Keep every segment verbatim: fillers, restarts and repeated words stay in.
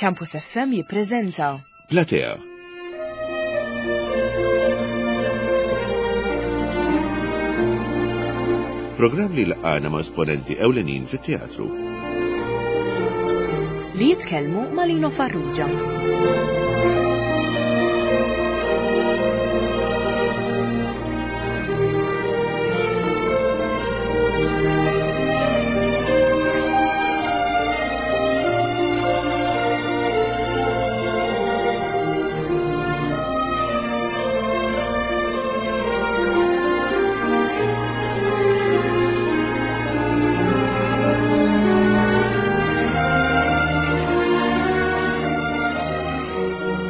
Campus F M jippreżenta Platea. Programm li laqana ma' esponenti ewlenin fit-teatru. Li jitkellmu ma' Lino Farrugia.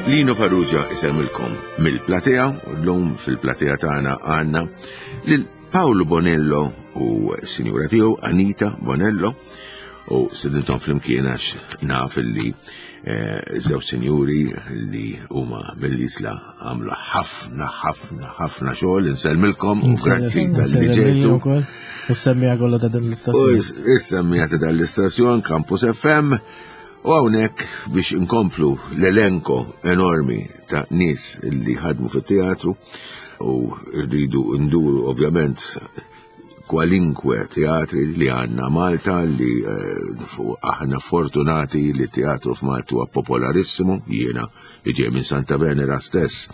Lino Farrugia isemmilkom mill-platea, u l-lum fil-platea tagħna għandna lil Paolo Bonello u s-sinjura tiegħu Anita Bonello, u sidintom flimkien għax naf li eh, żewġ sinjuri li huma mill-Isla għamlu ħafna ħafna ħafna xogħol. Insellmilkom u grazzi tal-li ġejtu. Is-semmija kollha ta' din U l-istazzjon. is-semmija ta' dan l-istazzjon Campus F M, u hawnhekk biex inkomplu l-elenko enormi ta' nies li ħadmu fit-teatru, u rridu nduru ovvjament kwalinkwe teatri li għandna Malta, li eh, fu- aħna fortunati li teatru f'Malta huwa popolarissimo. Jiena li ġej minn Santa Venera stess,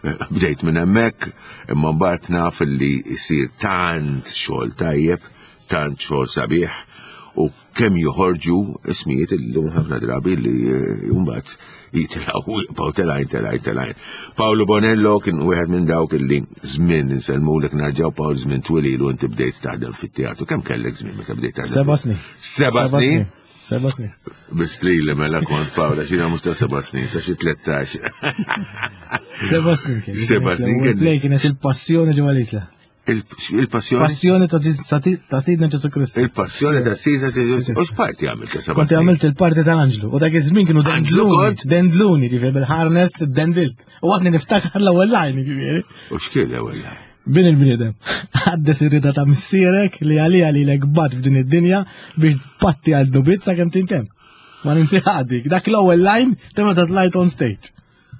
eh, bdejt minn hemmhekk, imma mbagħad naf li jsir tant xogħol tajjeb, tant xogħol sabiħ, u kemm joħorġu ismijiet illum ħafna drabi li eh, mbagħad jitilgħu jibqgħu telgħin, telgħin, telgħin. Paolo Bonello kien wieħed minn dawk illi żmien, insellmulek nerġgħu Paolo, żmien twil u inti bdejt taħdem fit-teatru. Kemm kellek żmien meta bdejt taħdem? Seba' snin. Seba' snin? Seba' snin. Biss li li mela kont Paola, xina mhux ta' seba' snin, ta' xi tlettax. Seba' snin kien. Seba' snin L-ewwel kien. play kienet il-passjoni ġewwa l-Isla. Il- Il-passjoni? Passjoni ta' Ġis- ta' ta' Sidna Ġesu Kristu. Il-passjoni ta' sida. U x'parti għamilt ta' seba' Kont snin? għamilt il-parti tal-Anġlu. U dak iż-żmien kienu Anġlu dendluni. kont? Dendluni, ġifieri bil-harness dendilt. U għadni niftakar l-ewwel line, ġifieri. U x'kien l-ewwel line? Bin il-bniedem, għaddes ir-rida ta' missierek li għalija li l-ekbat f'din id-dinja biex patti għal dubit sa' kem tintem. Ma ninsi dik, dak l-ewwel line ta' meta tlajt on stage.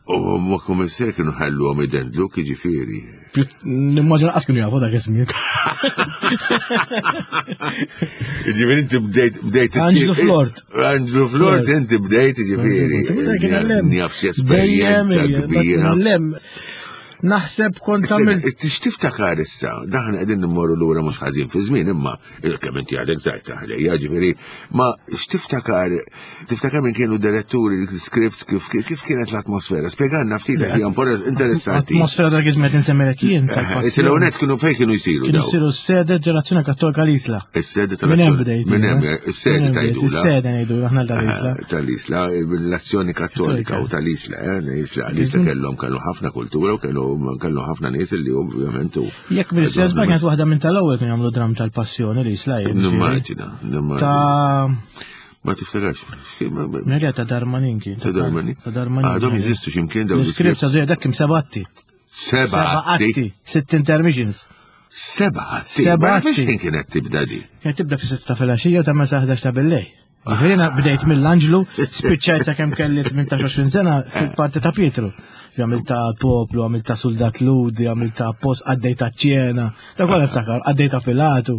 U ma kummissar kienu ħallu għom idendlu, ġifieri. Nimmaġina qas kienu jafu dak iż-żmien. Ġifieri inti bdejt bdejt Anġlu Flort. Anġlu Flort, inti bdejt, ġifieri. Njaf xi esperjenza kbira. Lem, naħseb kont għamilt. Tix tiftakar issa, daħna qegħdin nimmorru lura mhux ħażin fi żmien, imma kemm inti għadek żgħir taħlejja, ġifieri, ma x'tiftakar, tiftakar minn kienu diretturi, l-scripts, kif kif kienet l-atmosfera? Spjegalna ftit, hija interessanti. Atmosfera dak iż-żmien qed insemmilek jien. Issa l-ewwel kienu fejn kienu jsiru Kienu daw? jsiru s-sede ġerazzjoni Kattolika l-Isla. Is-sede Minn hemm tal-azzjoni. bdejt. Minn hemm, jien, eh? is-sede Minn hemm bdejt, tgħidula. Is-sede ngħidu aħna tal-Isla. Tal-Isla, l-azzjoni kattolika u tal-Isla, eh, l-Isla, l-Isla kellhom kellu ħafna kultura u kellu kellu ħafna nies li ovvjament u Jekk bil-sens ma kienet waħda minn tal-ewwel kienu jagħmlu dram tal-passjoni l-Isla jien. Nimmaġina, nimmaġina. Ta' Ma tiftakarx. Nerja ta' Darmanin kien. Ta' Darmanin? Ta' Darmanin. Għadhom jeżistu x'imkien dawn L-iskript ta' dak kim seba' atti. Seba' Seba' atti. Sitt intermissions. Seba' atti. Seba' Ma nafx atti. kien kienet tibda di. Kienet tibda fi sitta filgħaxija u tagħmel sa ħdax ta' billejl. Ġifieri jiena bdejt mill-Anġlu, spiċċajt sakemm kelli tmintax sena fil-parti ta' Pietru. Għamilt ta' poplu, għamilt ta' soldat Ludi, għamilt ta' post, għaddej ta' ċena, ta' kolla niftakar, għaddej ta' Pilatu.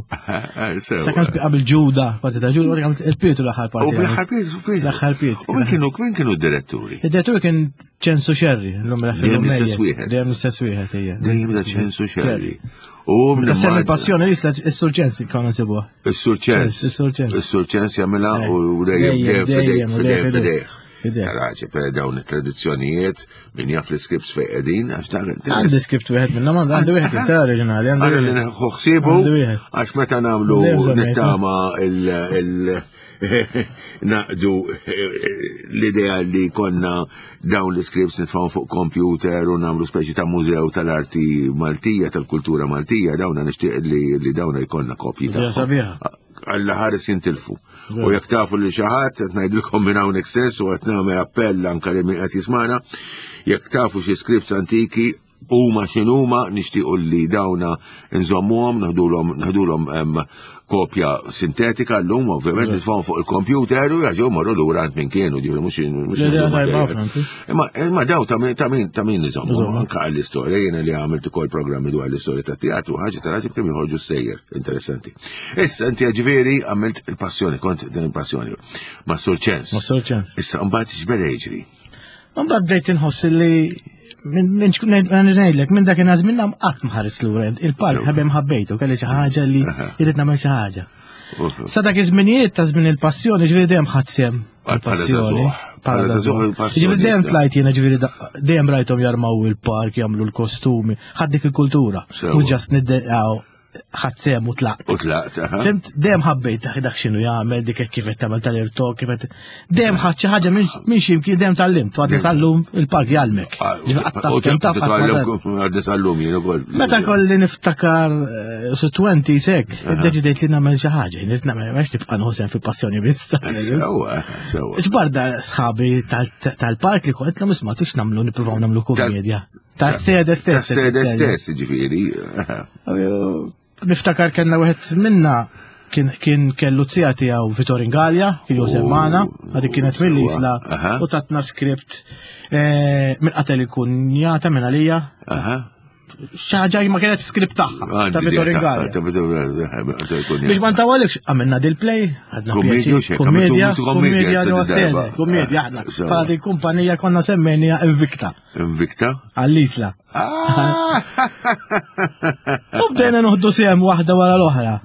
Sakemm spi qabel Ġuda, parti ta' Ġuda, għamilt il-Pietru l-aħħar U parti. bl-aħħar Pietru, Pietru. L-aħħar Pietru. U min kienu min kienu d-diretturi? Id-direttur kien Ċensu Xerri, l-lum Dejjem l-istess wieħed. Dejjem l-istess wieħed, ejja. Dejjem da Ċensu Xerri. U Ta' semmi passjoni li is-Sur Ċens konna nsibuha. Is-Sur Ċens. Is-Sur Ċens. Is-Sur Ċens jagħmilha Eh. u dejjem Dejjem, dejjem dejjem, fidejh fidejh dejjem, fidejh. fidejh. Taraġi, per dawn it-tradizzjonijiet, min jaf l-scripts fejn qegħdin, għax ta' Għandi script wieħed minnhom, għandi għandi wieħed ta' oriġinali, għandi Għara li wieħed. neħu ħsibu, Għandu wieħed. għax meta nagħmlu Dejjem żammejtu. nittama il- il- naqdu l-idea li konna dawn l-scripts nitfgħu fuq computer u nagħmlu speċi ta' mużew tal-arti Maltija, tal-kultura Maltija, dawna nixtieq li, li dawna jkollna kopji Idea tagħhom. sabiħa. Alla ħares jintilfu. U jekk tafu li xi ħadd, qed ngħidilkom minn hawnhekk stess u qed nagħmel appell anke lil min qed jismana, jekk tafu xi scripts antiki, Huma x'inhuma, nixtiequ li dawna nżommuhom, naħdulhom naħdulhom em, kopja sintetika llum, ovvjament nitfgħu fuq il-computer u jaġew morru lura għand minn kienu, ġifieri mhux mhux Le, le, nieħdu tajba materjal. ħafna, anzi. Imma imma daw ta' min ta' min ta' min niżommu Nżommu. anke għall-istorja, jiena li għamilt ukoll programmi dwar l-istorja ta' teatru, ħaġa tal-ħaġa kemm joħorġu sejjer, interessanti. Issa inti ġifieri għamilt il-passjoni, kont din il-passjoni ma' Sur Ċens. Ma' Sur Ċens. Issa mbagħad x'beda jiġri? Mbagħad bdejt inħoss li minn minn ngħidlek minn dak iż-żmien nam qatt ma ħares lura. Il-park Sewa. ħabem ħabbejtu, kelli xi ħaġa li Aha. irrid nagħmel xi ħaġa. Uh, Sa dak iż-żminijiet ta' żmien il-passjoni, ġifieri dejjem ħadd sehem Bħala il-passjoni. żagħżugħ. Bħala żagħżugħ il-passjoni. Ġifieri dejjem tlajt jiena ġifieri da- dejjem rajthom jarmaw il-park, jagħmlu l-kostumi, ħadd dik il-kultura. Sewa. Mhux just niddeqgħu ħadd sehem u tlaqt. U tlaqt, aha. Fimt, dejjem ħabbejt dak dak x'inhu jagħmel, dik hekk kif qed tagħmel tal-irtok, kif qed dejjem ħadd xi ħaġa minn minn xi imkien dejjem tgħallimt, għadni sal-lum il-park jgħallmek. Ah, Ġifieri qatt taf U kemm taf qatt ma taf. għaddi sal-lum jien ukoll. Meta kolli niftakar eh, su twenty sek, iddeċidejt li nagħmel xi ħaġa, irid nagħmel għax tibqa' nħossem fil-passjoni biss. Sewa, sewa. Xbarda sħabi tal- tal-park li kont l isma' tix nagħmlu nippruvaw nagħmlu komedja. Tal-sede stess. Tas-sede stess, ġifieri. aha. Niftakar kellna wieħed minna kien kien kellu zija tiegħu Vittorin Gallia, kien Josef Oh, Mana, għadik kienet mill-Isla Aha. u tatna skript eh, minn qatel il-kunjata minn għalija. Aha. Xi ħaġa ma kienet skript tagħha ta' Għandi Vittorin idea Gallia. Ta' Vittorin Gallia. Biex ma ntawalekx, għamilna dil-play, għadna Kommedja pjaċir. u xek, Kommedja, għamiltu kommedja kommedja issa li di darba. sede, kommedja aħna. Sewa. Bħala din kumpanija konna semmejnija Invicta, Invicta? għall-Isla. Ah! U bdejna noħdu sehem waħda wara l-oħra.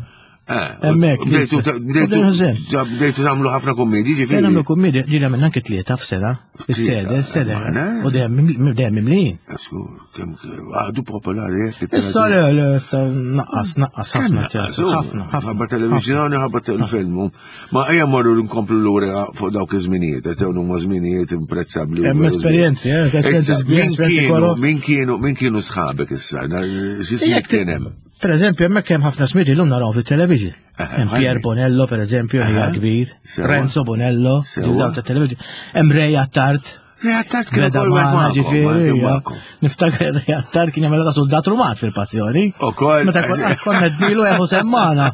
Eh, Hemmhekk, Bdejtu l-Isla. bdejtu Bdejna sehem. bdejtu tagħmlu ħafna kommedji, Bdejna ġifieri. nagħmlu kommedja, ġieli għamilna anke tlieta f'sena, is-sede, is-sede. Maħna? U dejjem dejjem mimlijin. Skur, kemm għadu popolari hekk. Issa le, le, issa naqqas, naqqas ħafna teatru, ħafna, ħafna. Ħabba televizjoni, ħabba telefilm. Ma ejja morru nkomplu lura fuq dawk iż-żminijiet, għax dawn huma żminijiet imprezzabbli. u Hemm veru esperjenzi, eh, esperjenzi Issa, sbieħ, min esperjenzi kienu, koro. min kienu, min kienu sħabek issa? Na- X'ismijiet Jekk ti- kien hemm? Per eżempju, hemmhekk hemm ħafna smieti llum naraw fit-television. Aha, Hemm Pier ħalli. Bonello, per eżempju, hija Aha. kbir. Sewa. Renzo Bonello, Sewa. daw ta' television. Hemm Ray Attard. Ray Attard kien Beda ukoll wieħed magħna magħkom, ġifieri. kien ja. magħkom. Niftakar Ray Attard kien jagħmel ta' soldat rumat fil-passjoni. Ukoll. Meta konna konna dnilu eħu semmana.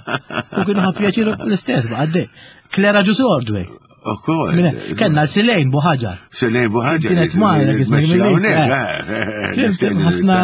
U kienu ħa pjaċir l-istess baqgħet. Clara Ġus Ordway. Ukoll. Kenna Silejn Buħaġar. Selejn Buħaġar. Kienet magħna dak iż-żmien mill-Isla. Kien ħafna-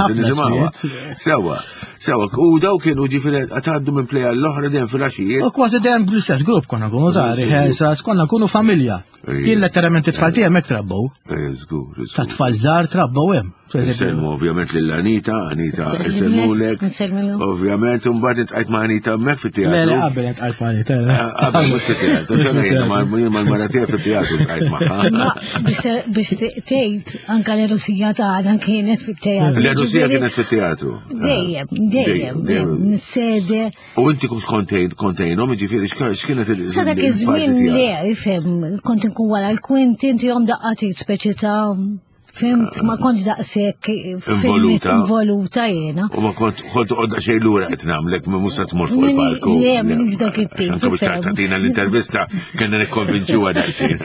ħafna smijiet. Sewa, sewa, u daw kienu ġifieri għataddu minn pleja l-oħra dejjem fil-għaxijiet. U kważi dejjem l-istess grupp konna nkunu ta' L-istess rehearsals, konna nkunu familja. Ejja. Jien letteralment it-tfal tiegħi hemmhekk trabbew. Eh, Żgur, Ta' żgur. tfal żgħar trabbew hemm. Per eżempju, Nselmu ovvjament lil Anita, Anita nselmulek. Nsellmilhom. Ovvjament, mbagħad intqajt ma' Anita hemmhekk Le, le, fit-teatru. qabel intqajt ma' Anita. Eh, Qabel mhux fit-teatru, xana jiena ma' jien mal-mara tiegħi fit-teatru ntqajt magħha. Ma biex biex tgħid anka l-Rusija tagħna kienet fit-teatru. L-Rusija Ġifieri, kienet fit-teatru. Dejjem, dejjem, dejjem, nis-sede. U inti kont kontejn kontejnhom, jiġifieri x'kienet il- Sa dak il- iż-żmien il-parti le, tiegħek? ifhem, kont inkun wara l-kwinti, inti jom daqqatit speċi ta' fimt, ma kontx daqshekk Involuta. involuta jiena. U ma kont kont toqgħod xejn lura qed nagħmlek ma mhux se tmur fuq Minni- il-palku. le, minix dak it-tip, Anke biex ifhem. tagħtina l-intervista kellna nikkonvinċuha daqsxejn.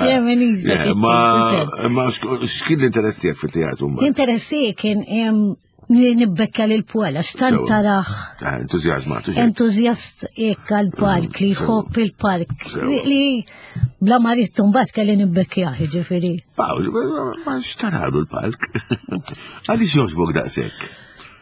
Le, minix dak Le, Ma it-tip, ma xk- x'kien l-interess tiegħek fit-teatru mbagħad? L-interess tiegħi kien em, li nibbekka lil Puela, x'tant Sewa. taraħ Ah, Entużjażmat, u xejn. entuzjast hekk għal-park, li Sewa. jħobb il-park, Sewa. li- li bla ma ridtu mbagħad kelli nibbekkjah, ġifieri. Pawl, ma- ma x'taralu l-palk? Għaliex jogħġbok daqshekk?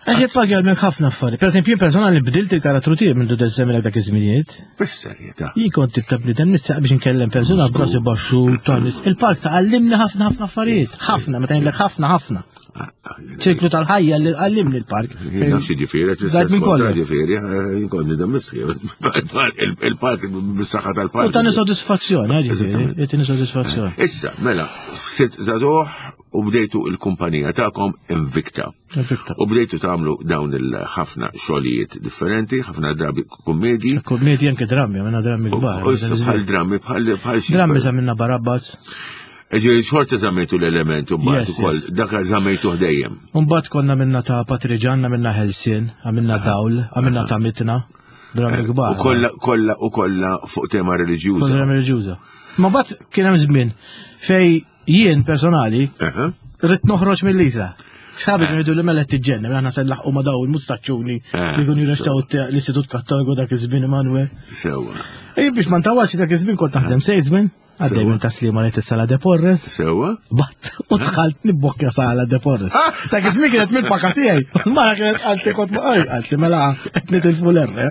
Għax jippaga minn ħafna affarijiet. Per eżempju, jien personali bdilt il-karattru tiegħi minn dudu semmilek dak iż-żminijiet. Bis-serjetà. Jien kont tip ta' bniedem nistaq biex nkellem persuna b'rasi baxxu, tanis. Il-park tgħallimni ħafna ħafna affarijiet. Ħafna, meta ngħidlek ħafna ħafna. Ah, ah, jiena- Ċirklu tal-ħajja li għallimni l-park. Jien nafx ġifieri, qed Dajt l-istess minn kontra kollu. ġifieri, eh, jien kont nidem missi. Il-park, bis-saħħa tal-park. U tani soddisfazzjoni, eh, ġifieri, Eżattament. tani soddisfazzjoni. Issa, mela, sirt żagħżugħ u bdejtu il-kumpanija tagħkom Invicta. Invicta. U bdejtu tagħmlu dawn il-ħafna xogħlijiet differenti, ħafna drabi kummedji. Kommedji anke drammi, għamilna drammi U kbar. u issa bħal drammi, bħal bħal xi. Drammi żammilna Barabbas. Ġifieri xorta żammejtu l-element u mbagħad Yes, ukoll yes. dak żammejtu dejjem. Mbagħad konna minna ta' Patriġan, minna Helsien, għamilna Dawl, għamilna ta' Mitna, drammi kbar. U kollha kollha u kollha fuq tema reliġjuża. Kollha drammi reliġjuża. Ma mbagħad kien hemm żmien fej jien personali Aha. rrid noħroġ mill-Isla. Sħabi kienu jgħidu li mela tiġġenna, aħna se nlaħqu ma daw il-mustaċċuni Eh, li kienu jirrestaw l-Istitut Kattoliku dak iż-żmien Emanuel. Sewa. Ej biex ma ntawax dak iż-żmien kont naħdem salesman, għaddej Sewa. minn taslima li sala De Porres. Sewa. Bat, u dħalt nibbokkja sala De Porres. Dak iż-żmien kienet mill-paka tiegħi. Mara kienet qalt li kont ma qalt li mela qed nitilfu l-erre.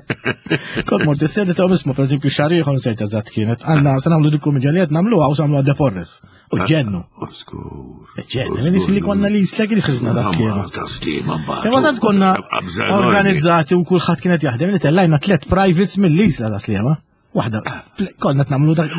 Kont mort is-sedi ta' ismu pereżempju xahar ieħor nsejt eżatt kienet. Għandna se nagħmlu dik kumedja li qed nagħmluha u se nagħmluha De Porres. U ġennu. Oskur. Ġennu, minix li konna li jislek li ħriġna ta' Sliema. Ta' Sliema mbagħad. Imma tant konna Qabża enormi. organizzati u kulħadd kienet jaħdem li tellajna tliet privates mill-Isla ta' Sliema. Waħda, konna nagħmlu dak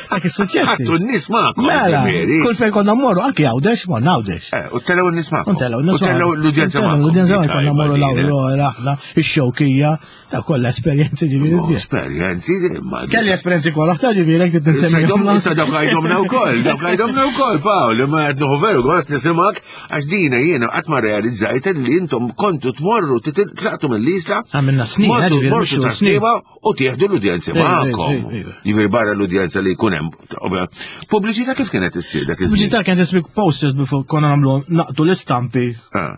dak is-suċċessi. Ħadtu n-nies magħkom. Mela, ġifieri. kull fejn konna mmorru, anki Għawdex, morna Għawdex. Eh, U telgħu n-nies magħkom. Untellgħu n-nies U telgħu l-udjenza magħkom. magħkom. L-udjenza Dik magħkom konna mmorru tajba din, eh. l-Aurora, aħna, ix-Xewkija, ta' kollha esperjenzi ġifieri Oh, sbieħ. Esperjenzi, ma. Kelli esperjenzi kollha ta' ġifieri jekk Issa tinsemmi. Issa dawk għajdomna u koll, dawk għajdomna u koll, Pawl, ma għed nuħu veru, għas nisimak, għax dina jiena għat ma realizzajt li intom kontu tmorru, titlaqtu mill-Isla, Għamilna snin, mortu ġifieri, mortu mhux ta' snin. Sliema u tieħdu l-udjenza Ej, ej, magħkom. ej, ej. Jiġifieri barra l-udjenza li jkun hemm. Ovvja, Pubbliċità kif kienet issir dak iż-żmien? Pubbliċità kienet ismik posters before konna nagħmlu naqdu l-istampi Ah,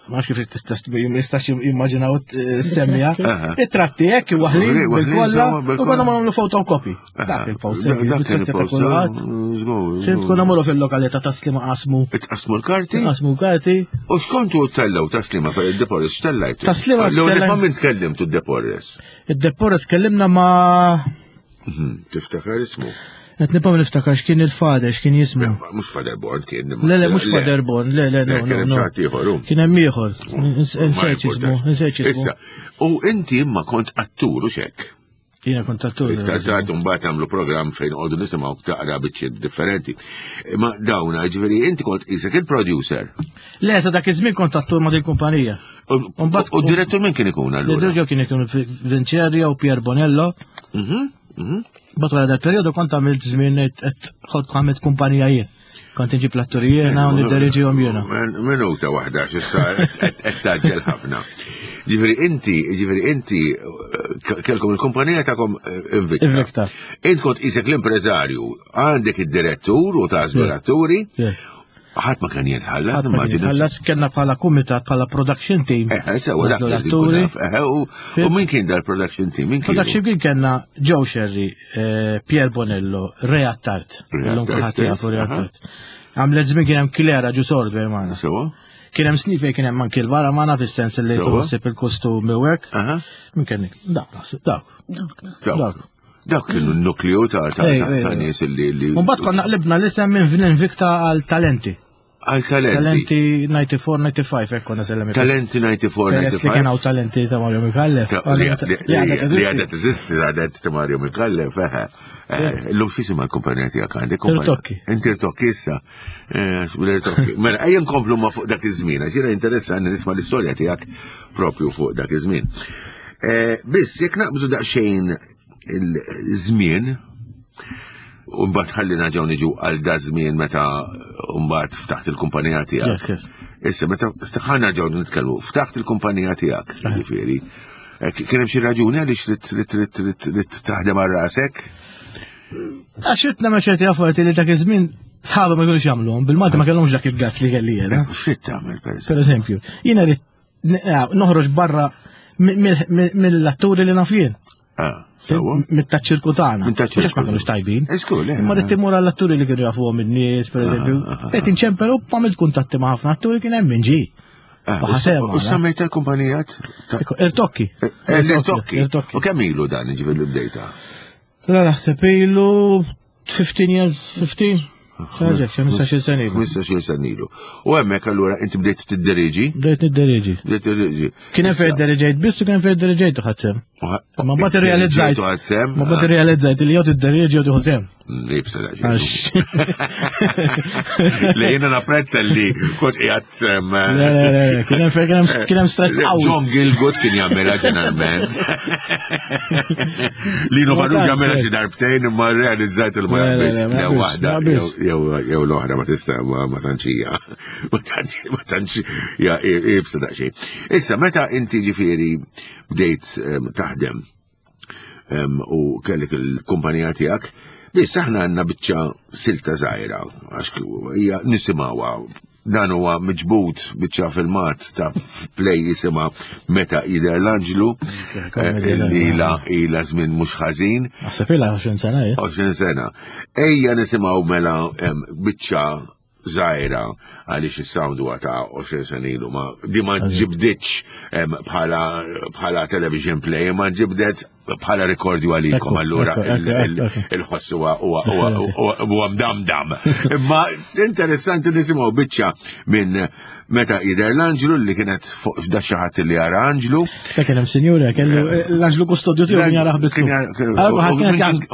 ma nafx kif tista' jistax jimmaġinaw eh, semmija. Aha. It-tratti hekk waħlin Waħlin, bil-kolla insomma, u bil-kolla. konna nagħmlu photocopy. Dak il-poster, Dak kien il-tratti ta' il-poster. kulħadd. Żgur, Fim konna morru fil-lokalità ta' Sliema qasmu. Itqasmu l-karti? Qasmu karti. U x'kontu tellgħu ta' Sliema per il-De Porres, x'tellajtu? Ta' Sliema L-ewwel tellajna- ma' min tkellimtu d-De Porres? Id-De Porres kellimna ma' Mhm, Tiftakar ismu? Qed nibqa' niftakar x'kien il-fader, x'kien jismu. Mhux Father Born kien. Le, le, mhux Father Born, le, le, no, Kien no, hemm no. xi ħadd ieħor, hu. Kien hemm ieħor. Ma Insejt jismu, importax. insejt jismu. Issa, u inti imma kont attur u xek. Jiena kont attur. Iktar tard mbagħad għamlu programm fejn qogħdu nisimgħu taqra biċċiet differenti. Ma dawna, ġifieri inti kont isek il-producer. Le, sa dak iż-żmien kont attur ma' din kumpanija. U Mbagħad- u d-direttur min kien ikun allura? L-dirġa kien ikun Vincerio u Pier Bonello. Mhm, mhm. Bat wara dal-periodu kont għamilt żmien qed kont għamilt kumpanija jien. Kont inġib l-atturi jiena u nidderieġihom jiena. Min- Minuta waħda, x'issa qed taġġel ħafna. Ġifieri inti, ġifieri inti eh, kellkom il-kumpanija tagħkom eh, Invicta. Invicta. Int kont isek l-impreżarju, għandek id-direttur u tażlu l-atturi, Yes. ħadd ma kien jitħallas, Ħadd ma kien nimmaġina. jitħallas, kellna bħala kumitat, bħala production team. Eh, sewa dak Nażlu li l-atturi. nkun naf. Eh, u- U min kien dal-production team? Min kien? Production team kellna Joe Sherry, eh, Pier Bonello, Ray Attard. Ray Illum Attard kulħadd stess, jafu Ray aha. Attard. Għamlet żmien kien hemm Klera Ġusord magħna. Sewa? Kien hemm snin fejn kien hemm anki l-vara magħna fis-sens li Sewa. tħossib il-kostumi u hekk. Aha. Min kien Dawk, naħseb, dawk. Dawk naħseb. Dawk. Dawk. Dak kienu n-nukleu ta' ta' Ej, ta' ej, ta' ej. nies li li Mbagħad konna qlibna l-isem minn Invicta għal Talenti. għal talenti. Talenti disgħa u disgħin, disgħa u ħamsin, hekk konna sellem. Talenti disgħa u disgħin, Peress li kien hawn talenti ta' Mario Micallef. Ta' Li li- li għadha teżisti talenti ta' Mario Micallef, eħe. Eh, Illum x'jisimha l-kumpanija tiegħek għandek? kumpanija- Irtokki. Inti Irtokki issa. Eh, l-Irtokki. Mela, ejja nkomplu ma fuq dak iż-żmien, għax jiena interessanti nisma' l-istorja tiegħek propju fuq dak iż-żmien. Eh, Biss, jekk naqbżu daqsxejn il-żmien, u mbagħad ħalli naġgħu niġu għal da żmien meta mbagħad ftaħt il-kumpanija tiegħek. Yes, yes. Issa meta ħa ġew nitkellmu, ftaħt il-kumpanija tiegħek, jiġifieri. Eh, Kien hemm xi raġuni għaliex trid trid trid trid taħdem għal rasek? Għax ridt nagħmel ċerti affarijiet li dak iż-żmien sħabi ma jkunux jagħmluhom, bil-Malti ma kellhomx dak il-gas li kelli jiena. X'trid tagħmel pereżempju? Per eżempju, jiena rrid n- eh, noħroġ barra mi- mill- mill- mill-atturi li naf jien. Ah, sewwa. Mit-taċ-ċirku tagħna. Minn taċ-ċirku. Mhux għax ma kinux tajbin. Eh, żgur, le. Imma rrid immur għall-atturi li kienu jafuhom in-nies, per eżempju. Qed inċempel u għamilt kuntatti ma' ħafna atturi kien hemm min ġie. Ah, U ħasema, U semmejt il-kumpanija ta' Irtokki. Eh, L-Irtokki. Irtokki. U kemm ilu dan jiġifieri li bdejta? La naħseb ilu fifteen years, fifteen. Ħaġa, ħmistax-il sena ilu. ħmistax-il sena ilu. U hemmhekk allura inti bdejt tidderieġi? Bdejt nidderieġi. Bdejt tidderieġi. Kien hemm fejn dderieġejt biss u kien hemm fejn dderieġejt u ħadt sehem. Ma mbagħad irrealizzajt. U ħadt sehem? Ma mbagħad irrealizzajt li jew tidderieġi jew tieħu sehem. Libsa da Għax. Li jiena napprezza li kont qiegħed em, Le, le, le, kien hemm fejn kien hemm kien hemm stress qawwi. John Gielgud kien jagħmilha ġeneralment. Lino Ma Farrugia tantx, jagħmilha eh. xi darbtejn imma realizzajt il ma Le, le, jaqbilx. le, ma Jew jaqbilx, waħda ma jaqbilx. jew jew l-oħra ma tista' ma ma tantx hija. Ma tantx ma tantx hija ibsa daqsxejn. Issa meta inti ġifieri bdejt em, taħdem em, u kellek il-kumpanija tiegħek, biss aħna għandna biċċa silta żgħira għax hija nisimgħuha Dan huwa miġbud biċċa filmat ta' play jisimha Meta Jidher l-Anġlu, eh, li ila ila żmien mhux ħażin. Naħseb ilha għoxrin sena, eh? għoxrin sena. Ejja nisimgħu mela biċċa żgħira għaliex is-sound huwa ta' għoxrin sena ilu, ma di ma ġibditx bħala bħala television play, ma ġibdet bħala rekordju għalikom, allura il-ħoss huwa huwa mdamdam. Imma interessanti nisimgħu biċċa minn Meta Jidher l-Anġlu li kienet fuq da xi ħadd li jara anġlu. Dak kien hemm sinjura, kellu l-anġlu kustodju tiegħu kien jarah biss.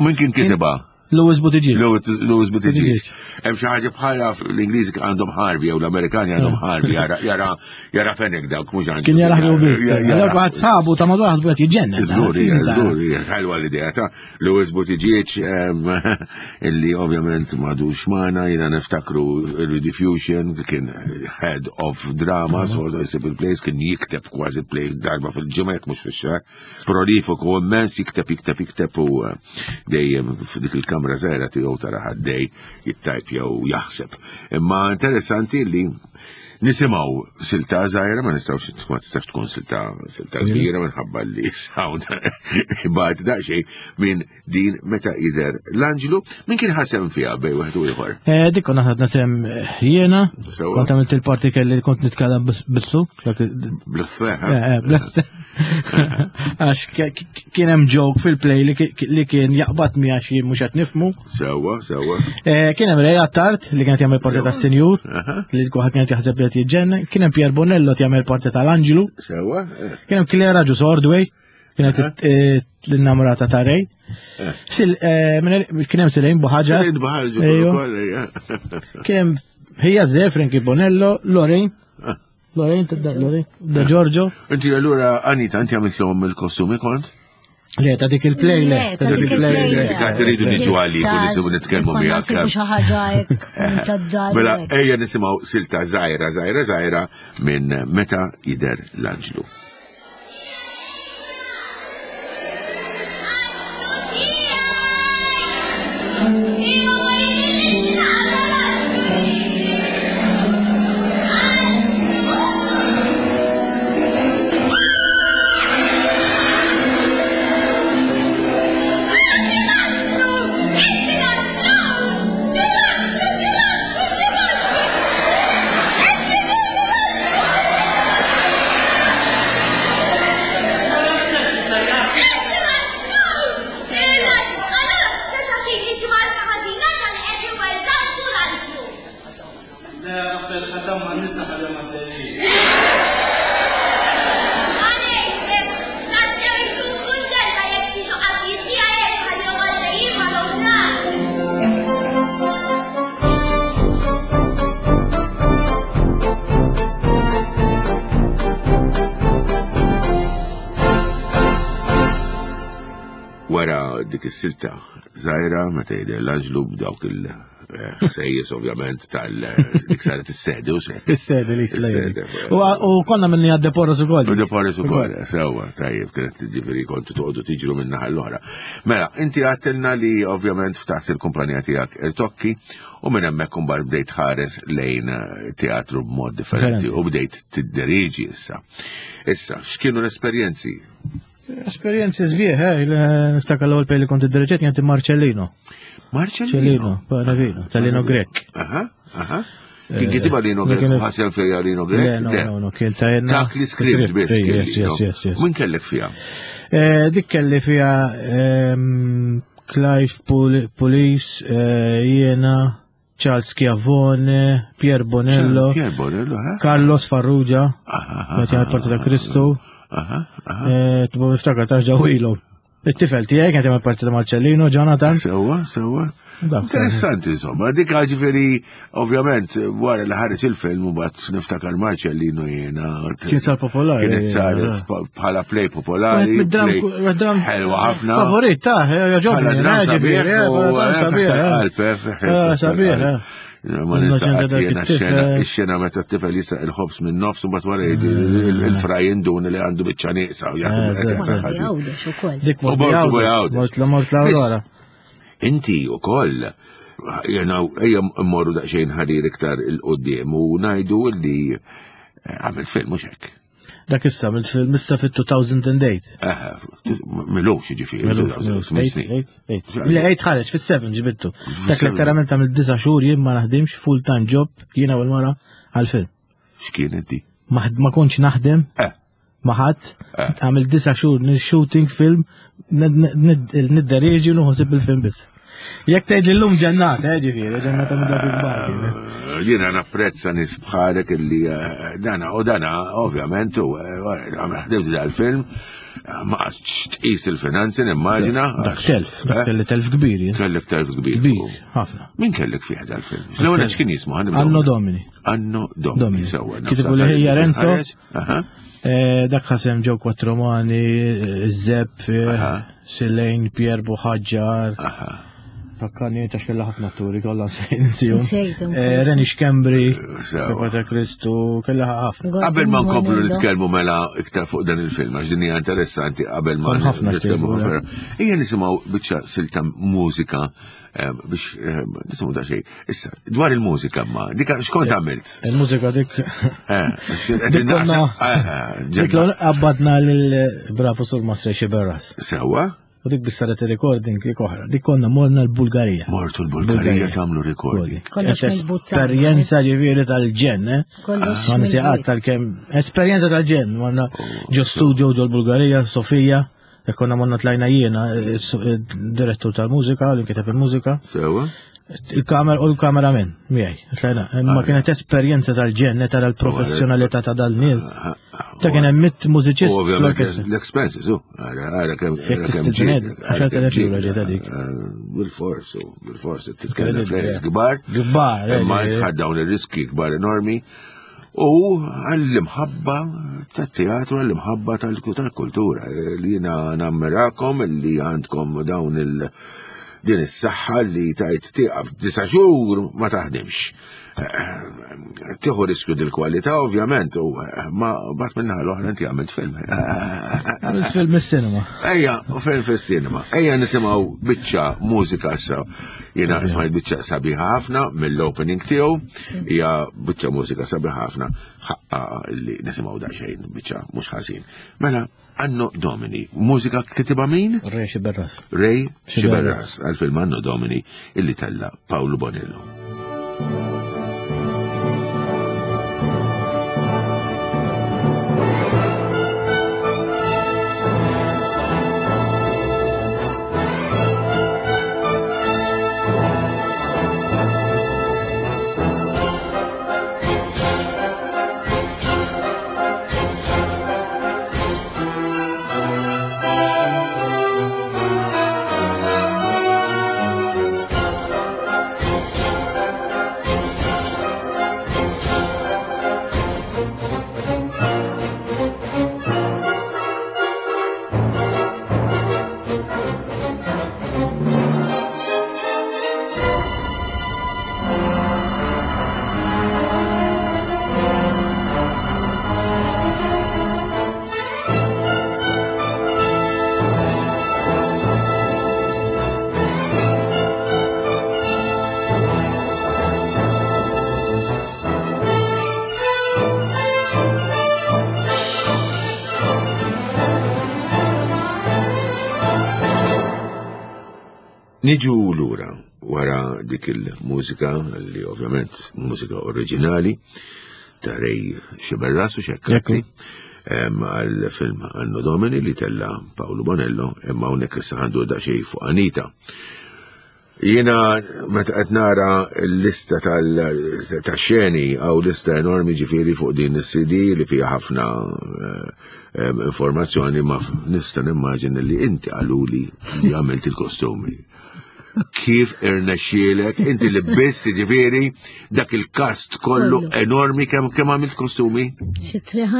Min kien kitibha? Louis Buttigieg. Louis Buttigieg. Hemm xi ħaġa bħala l-Ingliżi għandhom Harvey jew l-Amerikani għandhom Harvey jara jara jara fenek dawk mhux għandu. Kien jara ħbib biss. Allora ħadd sabu ta' madwar ħasbu qed jiġġennen. Żgur, żgur, ħelwa l-idea ta' Louis Buttigieg illi ovvjament m'għadux magħna, jiena niftakru Rediffusion kien head of drama, sort of simple plays, kien jikteb kważi play darba fil-ġimgħa jekk mhux fix-xahar. Prolifiku immens, jikteb, jikteb, jikteb u dejjem f'dik il-kamra żgħira tiegħu tara ħaddej jittajp jew jaħseb. Imma interessanti li nisimgħu silta żgħira, ma nistgħux ma tistax tkun silta silta kbira minħabba li sound bad daqsxejn minn din Meta Jidher l-Anġlu. Min kien ħasem fiha bej wieħed u ieħor? Eh, dik konna ħadna sem jiena, kont għamilt il-parti kelli kont nitkellem bissu. Bl-sse, eh, eh, bl-sse. Għax kien hemm joke fil-play li kien jaqbad mi għax jien mhux qed nifhmu. Sewwa, sewwa. Kien hemm Ray Attard li kienet jagħmel parti tas-Sinjur, li kulħadd kienet jaħseb li qed jiġġennen. Kien hemm Pier Bonello jagħmel parti tal-Anġlu. Sewwa. Kien hemm Clara Ġus Ordway, kienet l-innamurata ta' Ray. Kien hemm Silejn Buħaġar. Silejn Buħaġar ukoll. Kien hemm Hija Zer, Frankie Bonello, Lorraine. Lorraine, tibda Lorraine, da Giorgio. Inti allura Anita, inti għamiltlhom il-kostumi kont? Le, ta' dik il-play, le. Ta' dik il-play. Dik għad iridu niġu għalik u nisibu nitkellmu miegħek. Nsibu xi ħaġa hekk tad-dar. Mela, ejja nisimgħu silta żgħira, żgħira, żgħira minn Meta Jidher l-Anġlu. Wara dik is-silta żgħira meta jidher l-anġlu b'dawk il-ħsejjes ovvjament tal-dik saret is-sede u xejn. Is-sede li s-sede. U konna minni għad Deporres ukoll. U Deporres ukoll, sewwa, tajjeb, kienet ġifieri kontu toqgħodu tiġru minn naħa l-oħra. Mela, inti għadtilna li ovvjament ftaħt il-kumpanija tiegħek Irtokki u minn hemmhekk imbagħad bdejt ħares lejn teatru b'mod differenti u bdejt tidderiġi issa. Issa, x'kienu l-esperjenzi? Esperjenzi sbieħ, eh, niftakar l-ewwel play li kont iddirġet kienet Marcellino. Marcellino? Marcellino, tal-Lino Grech. Aha, aha. Kien kitibha Lino Grech, ħasel fejja Lino Grech? Le, no, no, no, kien ta' jenna. Dak li script biss. Yes, yes, yes, yes. Min kellek fiha? Dik kelli fiha Clive Police, jiena, Charles Schiavone, Pier Bonello, Pier Bonello, eh? Carlos Farrugia, kienet jagħmel parti ta' Kristu. Tibba niftakar tarġa' ilhom. It-tifel tiegħi kien jagħmel parti ta' Marcellino, Jonathan. Sewwa, sewwa. Interessanti insomma, dik ġifieri ovvjament wara li ħareġ il-film u bat niftakar Marcellino jiena. Kien sar popolari. Kienet saret bħala play popolari. Ħelwa ħafna. Favorit ta' jogħġobni. Bħala dram sabiħ. Sabiħ. Ma nista' jiena x-xena, x-xena meta t-tifel jisraq il-ħobż minn nofs u mbagħad wara il-fraj indun li għandu biċċa nieqsa u jaħseb qed jisraq ħażin. Dik mort l mort l-Aurora. Inti wkoll Jena, ejja mmorru daqsxejn ħarir iktar il-qoddim u ngħidu li għamilt film mhux hekk. Dak issa għamilt film issa fit-two thousand and eight. Aha, m'ilux ġifieri. Le, eight ħareġ, fis-seba ġibittu. Dak letteralment għamilt disa' xhur jien ma naħdimx, full time job, jiena u l-mara għal-film. X'kienet di? Ma ma kontx naħdem Eh, ma ħadd, Eh. għamilt disa' xhur shooting film, nidderieġi u nħossib il-film biss. Jekk tgħid li llum ġennata, eh, ġifieri, ġennata minn dak il-kbar kien. Jiena napprezza nies bħalek illi eh, dana u dana ovvjament u eh, ħdimt dal-film ma qgħadx tqis il-finanzi nimmaġina. Dak telf, dak kelli telf kbir, jien. Kellek telf kbir. Kbir, ħafna. Min kellek fih dal-film? L-ewwel x'kien jismu? Ħa nibdew. Anno Domini. Anno Domini. Domini. Sewwa. Kitbu li ħija Renzo. Aha. Eh, Dak ħasem ġew Quattromani, eh, Zepp, Aha. Silejn, Pier Buħaġġar. Aha. Fakkarni ta' xkella ħafna atturi kollha nsejhom. Nsejthom. Eh, Reni Schembri, Sewwa. Pater Kristu, kella ħafna. Qabel ma nkomplu Bonello. nitkellmu mela iktar fuq dan il-film, għax din hija interessanti qabel ma Kon ħafna nitkellmu xtiequ, ħafna. Ejja nisimgħu biċċa silta mużika eh, biex eh, nisimgħu da xejn. Issa, dwar il-mużika ma, dika x'kont għamilt? Il-mużika dik. Eh, għax qed Dik konna. Eh, Dik ġenna. l qabbadna lil bravu sur Mastre Xiberras. Sewwa, U dik bis saret il-recording dik oħra. Dik konna morna l-Bulgarija. Mortu l-Bulgarija tagħmlu recording. Kollox mill-but tagħna. Esperjenza ġifieri tal-ġenn, eh? Kollox Ma nisiqat mill-but. tal-kem. Esperjenza tal-ġenn. Morna ġo studio ġo l-Bulgarija, Sofija. E konna morna tlajna jiena, eh, s- eh, direttur tal-mużika, li kiteb il-mużika. Sewwa? Il-kamer u l-kameraman, miegħi. Tlajna. Imma kienet esperjenza tal-ġenn, tara l-professjonalità ta' dal-nies. Ta' kien hemm mitt U mużiċist ovvjament fl-orkestra. l-expenses, u, għara, għara kemm Jekk għara kemm tistidned, ġiet, għaxar għara kemm telef ġiet, euro ġiet dik. eh, Bil-fors, u, bil-fors, titkellem Incredibile. flejjes kbar. Kbar, eh, Imma eh. tħad dawn ir-riski kbar enormi. U għall-imħabba tat-teatru, għall-imħabba tal-kultura. eh, Li jiena nammirakom li għandkom dawn il- din is-saħħa li tajt tieqaf disa' xhur ma taħdimx. Eh, Tieħu riskju dil-kwalità ovvjament, u eh, ma bat minna l-oħra inti għamilt film. Għamilt film is-cinema. Ejja, u film fis-cinema. Ejja nisimgħu biċċa mużika issa. Jiena smajt biċċa sabiħa ħafna mill-opening tiegħu, hija biċċa mużika sabiħa ħafna ħaqqa li nisimgħu daqsxejn biċċa mhux ħażin. Mela, Anno Domini, mużika kitibha min? Ray Xiberras. Ray Xiberras. Xiberras għal-film Anno Domini illi tella Paolo Bonello. Niġu lura wara dik il-mużika li ovvjament mużika oriġinali ta' Ray Xiberras u xekkatli għal film Anno Domini li tella Paolo Bonello imma hawnhekk issa għandu daqsxejn fuq Anita. Jiena meta qed nara l-lista tal-xeni għaw lista enormi ġifieri fuq din is-C D li fiha ħafna eh, informazzjoni, ma nista' nimmaġin li inti qaluli li għamilt il-kostumi. Kif irnexxielek, inti li biss ġifieri dak il-kast kollu enormi, kemm kemm għamilt kostumi? Xi tliet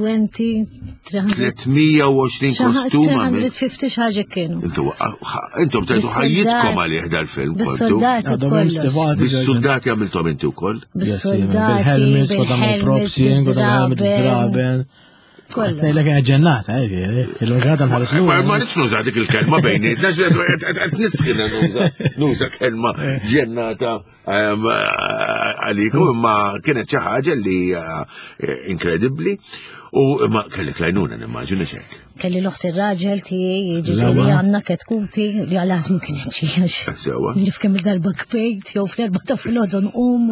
mija u għoxrin, tliet mija u għoxrin kostum għamilt. tliet mija u ħamsin xi ħaġa kienu. Intu intom tajtu ħajjitkom għalih dal-film kontu. Bis-soldati Għadhom hemm kollox. stivati. Bis-soldati għamiltom inti wkoll? Bis-soldati, bil-helmets, kodam il-props, jien, kodam il-helmet, bil-żraben. żraben. Kollu. Ngħidlek kienet ġennata, eh, ġifieri. Il-ġurnata nħares Ma lura. ma rridx nuża dik il-kelma bejnietna, qed nisħina nuża nuża kelma ġennata ehm, għalikom, imma kienet xi ħaġa li eh, inkredibbli u imma kellek lajnuna nimmaġina xek. Kelli l-oħt ir-raġel tiegħi, jiġifieri Żewwa. għandna ketkuti li għal ma kienx għax. Sewa. Nif kemm il-darba kbejt, jew fl-erba ta' filgħodu nqum.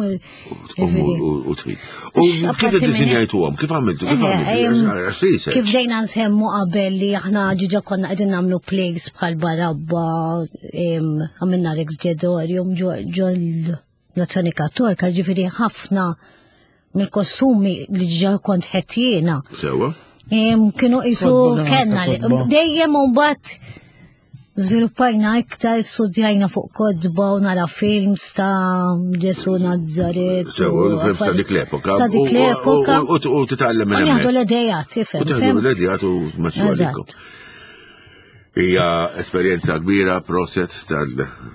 Ġifieri. U trid. U kif Apparti minn hekk- iddisinjajtuhom? Kif għamiltu? Kif Eh, għamiltu? em, Għax research. Kif bdejna nsemmu qabel li aħna ġiġa konna qegħdin nagħmlu plays bħal Barabba, em, għamilna Rex Ġedorium ġol Nazzjoni Kattolika, ġifieri ħafna mill-kostumi li ġiġa kont ħetjiena. Sewa. Em, Kienu qisu Kotba, kellna li- kotba. dejjem u mbagħad żviluppajna iktar, studjajna fuq kotba u nara films ta' Ġesu Nazzaret. u Sewa, films ta' dik l-epoka. Ta' dik U- u- l-epoka. U u- u titgħallem minn U nieħdu hemmhekk. l-idejat, tifhem. U teħdu fimt? l-idejat u tmexxu għalikom. Eżatt. Hija esperjenza kbira, proset tal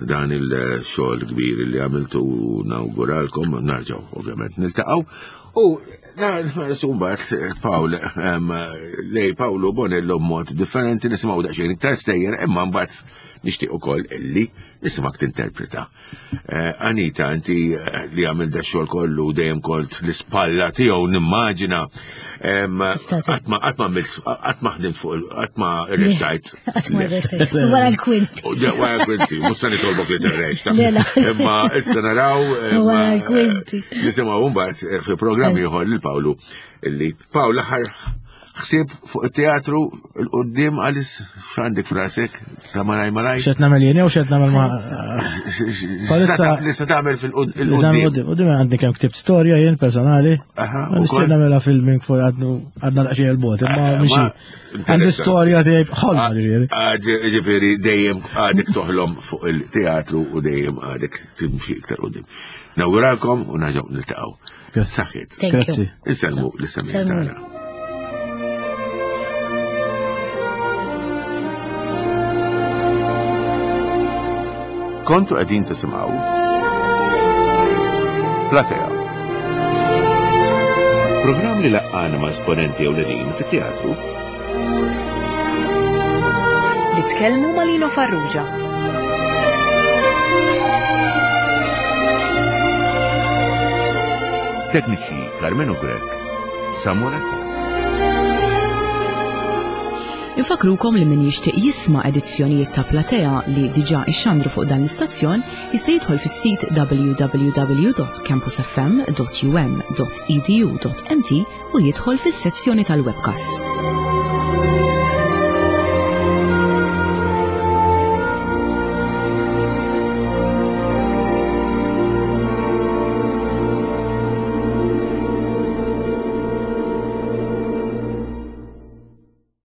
dan il-xogħol kbir li għamiltu u nawguralkom, narġgħu ovvjament niltaqgħu. U nħarsu mbagħad Pawl em, lej Pawlu Bonello mod differenti nisimgħu daqsxejn iktar stejjer, imma mbagħad nixtieq ukoll illi nisimgħek tinterpreta. Eh, Anita, inti eh, li għamil da xogħol kollu dejjem kont l-ispalla tiegħu nimmaġina. em, Tista' tgħid. Qatt ma qatt ma għamilt qatt ma ħdimt fuq il- qatt ma rrextajt. Qatt ma rrextajt. Wara l-kwinti. U ġe, Wara l-kwinti, mhux se nitolbok li tirrexta. Le, la. Imma issa naraw. imma, Wara l-kwinti. Nisimgħu mbagħad eh, fi programm ieħor lil Pawlu illi Pawl aħħar ħsieb fuq it-teatru l-qudiem għalis x'għandek f'rasek ta' malaj malaj. Xed nagħmel jien jew xed nagħmel ma' Palissa- Li se tagħmel Nizam fil-qudiem. qudiem, qudiem għandi kemm ktibt storja jien personali. Aha, Ma ukoll. nixtieq nagħmilha filming fuq għadnu għadna daqsxejn il-bot, imma Ah, mixi. ma- Għandi interessanti. storja tiegħi ħolma ġifieri. Ah, Ġifieri dejjem għadek toħlom fuq il-teatru u dejjem għadek timxi iktar qudiem. Nawguralkom u nerġgħu niltaqgħu. Grazzi. Saħħit. Thank you. Grazzi. Insellmu l-semmijiet Sellmu. tagħna. Kontu qegħdin tisimgħu Platea. Programm li laqqana ma' esponenti ewlenin fit-teatru Li tkellmu ma' Lino Farrugia. Tekniċi Carmenu Grek, Samuel Attard. Infakrukom li min jixtieq jisma' edizzjonijiet ta' Platea li diġà ixxandru fuq dan l-istazzjon jista' jidħol fis-sit w w w dot campus f m dot u m dot e d u dot m t u jidħol fis-sezzjoni tal-webcasts.